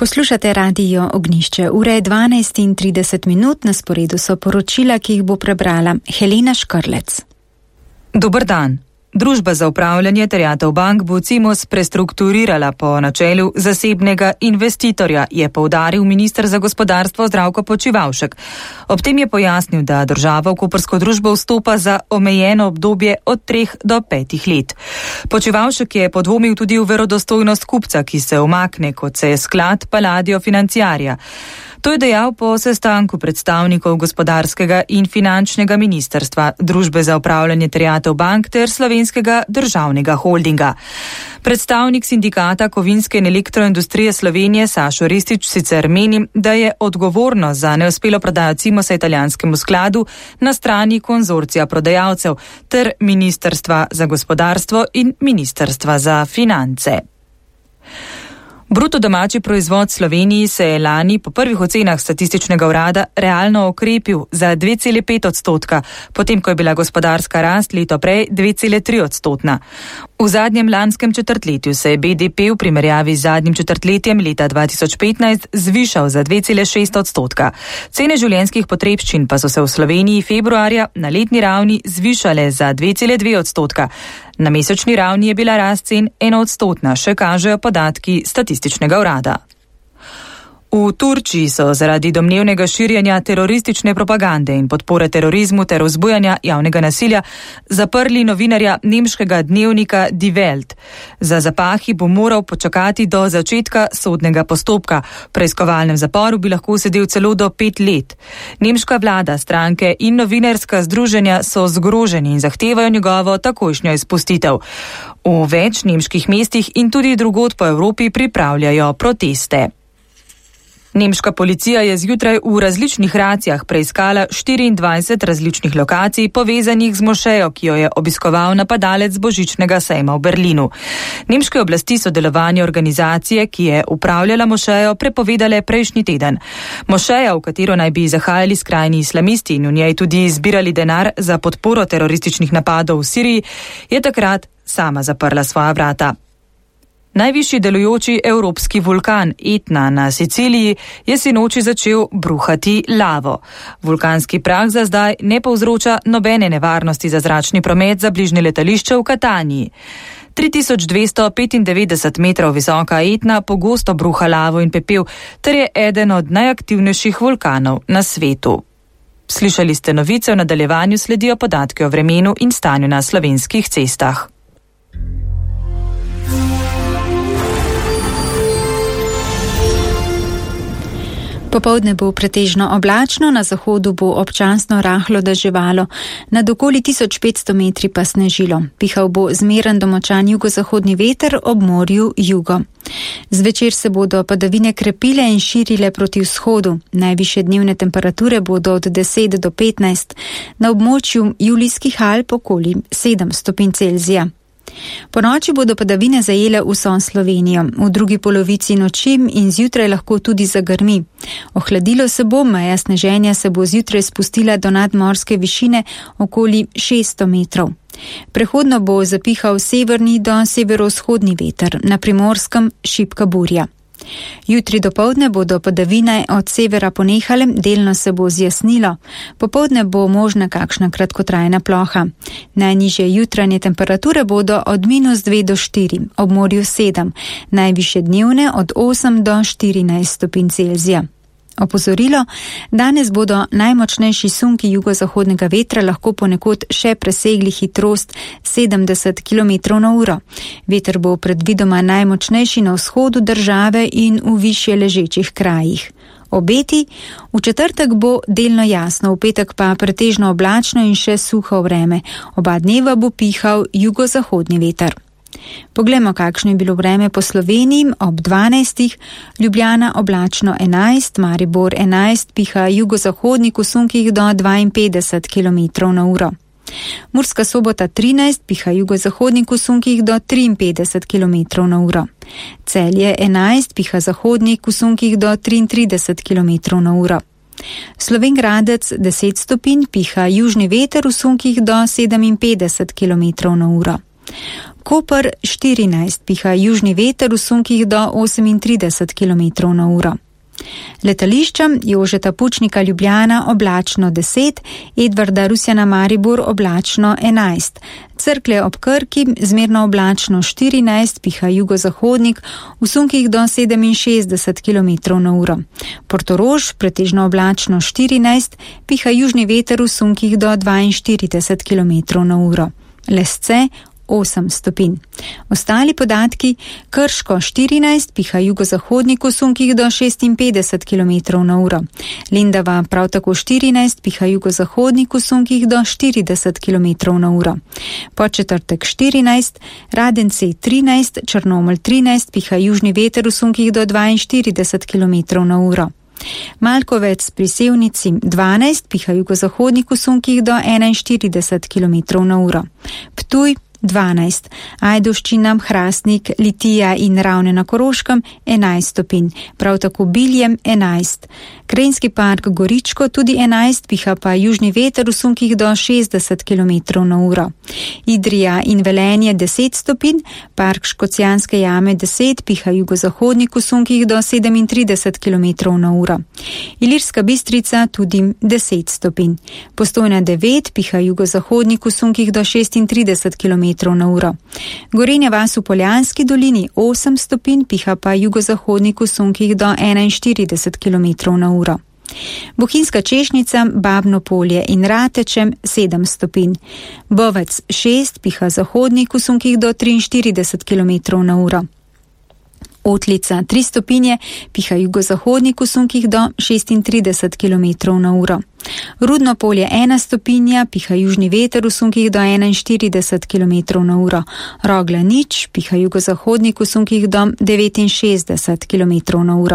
Poslušate Radio Ognjišče. Ura je 12:30, na sporedu so poročila, ki jih bo prebrala Helena Škrlec. Dober dan. Družba za upravljanje terjatev bank bo Cimos prestrukturirala po načelu zasebnega investitorja, je poudaril minister za gospodarstvo Zdravko Počivalšek. Ob tem je pojasnil, da država v koprsko družbo vstopa za omejeno obdobje od 3 do 5 let. Počivalšek je podvomil tudi v verodostojnost kupca, ki se umakne, kot se je sklad Palladio Financiarja. To je dejal po sestanku predstavnikov gospodarskega in finančnega ministrstva, Družbe za upravljanje terjatev bank ter Slovenskega državnega holdinga. Predstavnik sindikata kovinske in elektroindustrije Slovenije Sašo Ristič sicer meni, da je odgovornost za neuspelo prodajo Cimosa italijanskemu skladu na strani konzorcija prodajalcev ter Ministrstva za gospodarstvo in Ministrstva za finance. Bruto domači proizvod Sloveniji se je lani po prvih ocenah statističnega urada realno okrepil za 2,5%, potem ko je bila gospodarska rast leto prej 2,3%. V zadnjem lanskem četrtletju se je BDP v primerjavi z zadnjim četrtletjem leta 2015 zvišal za 2,6%. Cene življenjskih potrebščin pa so se v Sloveniji februarja na letni ravni zvišale za 2,2%. Na mesečni ravni je bila rast cen 1%, še kažejo podatki statističnega urada. V Turčiji so zaradi domnevnega širjenja teroristične propagande in podpore terorizmu ter vzbujanja javnega nasilja zaprli novinarja nemškega dnevnika Die Welt. Za zapahi bo moral počakati do začetka sodnega postopka. V preiskovalnem zaporu bi lahko sedel celo do 5 let. Nemška vlada, stranke in novinarska združenja so zgroženi in zahtevajo njegovo takojšnjo izpustitev. V več nemških mestih in tudi drugod po Evropi pripravljajo proteste. Nemška policija je zjutraj v različnih racijah preiskala 24 različnih lokacij povezanih z mošejo, ki jo je obiskoval napadalec božičnega sejma v Berlinu. Nemške oblasti so delovanje organizacije, ki je upravljala mošejo, prepovedale prejšnji teden. Mošeja, v katero naj bi zahajali skrajni islamisti in v njej tudi zbirali denar za podporo terorističnih napadov v Siriji, je takrat sama zaprla svoja vrata. Najvišji delujoči evropski vulkan Etna na Siciliji je sinoči začel bruhati lavo. Vulkanski prah za zdaj ne povzroča nobene nevarnosti za zračni promet za bližnje letališče v Kataniji. 3295 metrov visoka Etna pogosto bruha lavo in pepel, ter je eden od najaktivnejših vulkanov na svetu. Slišali ste novice, v nadaljevanju sledijo podatki o vremenu in stanju na slovenskih cestah. Popoldne bo pretežno oblačno, na zahodu bo občasno rahlo deževalo, nad okoli 1500 metri pa snežilo. Pihal bo zmeren do močan jugozahodni veter, ob morju jugo. Zvečer se bodo padavine krepile in širile proti vzhodu. Najvišje dnevne temperature bodo od 10 do 15, na območju Julijskih Alp okoli 7 stopinj Celzija. Po noči bodo padavine zajele vso Slovenijo. V drugi polovici noči in zjutraj lahko tudi zagrmi. Ohladilo se bo, meja sneženja se bo zjutraj spustila do nadmorske višine okoli 600 metrov. Prehodno bo zapihal severni do severovzhodni veter, na Primorskem šibka burja. Jutri dopoldne bodo padavine od severa ponehale, delno se bo zjasnilo. Popoldne bo možna kakšna kratkotrajna ploha. Najnižje jutranje temperature bodo od -2 do 4, ob morju 7, najvišje dnevne od 8 do 14 stopinj Celzija. Opozorilo, danes bodo najmočnejši sunki jugozahodnega vetra lahko ponekod še presegli hitrost 70 km/h. Veter bo predvidoma najmočnejši na vzhodu države in v višje ležečih krajih. Obeti, v četrtek bo delno jasno, v petek pa pretežno oblačno in še suho vreme. Oba dneva bo pihal jugozahodni veter. Poglejmo, kakšno je bilo vreme po Sloveniji. Ob 12. Ljubljana oblačno 11, Maribor 11, piha jugozahodnik v sunkih do 52 km/h. Murska Sobota 13, piha jugozahodnik v sunkih do 53 km/h. Celje 11, piha zahodnik v sunkih do 33 km/h. Slovenj Gradec 10 stopinj, piha južni veter v sunkih do 57 km/h. Koper 14, piha južni veter v sunkih do 38 km/h. Letališča Jožeta Pučnika Ljubljana oblačno 10, Edvarda Rusjana Maribor oblačno 11, Cerklje ob Krki zmerno oblačno 14, piha jugozahodnik v sunkih do 67 km/h. Portorož pretežno oblačno 14, piha južni veter v sunkih do 42 km/h. Lesce 8 stopinj. Ostali podatki: Krško 14, piha jugozahodnik v sunkih do 56 km/h. Lendava prav tako 14, piha jugozahodnik v sunkih do 40 km/h. Podčetrtek 14, Radenci 13, Črnomelj 13, piha južni veter v sunkih do 42 km/h. Malkovec pri Sevnici 12, piha jugozahodnik v sunkih do 41 km/h. Ptuj 12, Ajdovščina, Hrastnik, Litija in Ravne na Koroškem 11 stopinj, prav tako Biljem 11. Krajinski park Goričko tudi 11, piha pa južni veter v sunkih do 60 km/h. Idrija in Velenje 10 stopinj, park Škocjanske jame 10, piha jugozahodnik v sunkih do 37 km/h. Ilirska Bistrica tudi 10 stopinj. Postojna 9, piha jugozahodnik v sunkih do 36 km/h. Gorenja vas v Poljanski dolini 8 stopinj, piha pa jugozahodnik v sunkih do 41 km/h. Bohinjska Češnjica, Babno Polje in Ratečem 7 stopinj. Bovec 6, piha zahodnik v sunkih do 43 km/h. Otlica 3 stopinje, piha jugozahodnik v sunkih do 36 km/h. Rudno Polje 1 stopinja, piha južni veter v sunkih do 41 km/h. Rogla 0, piha jugozahodnik v sunkih do 69 km/h.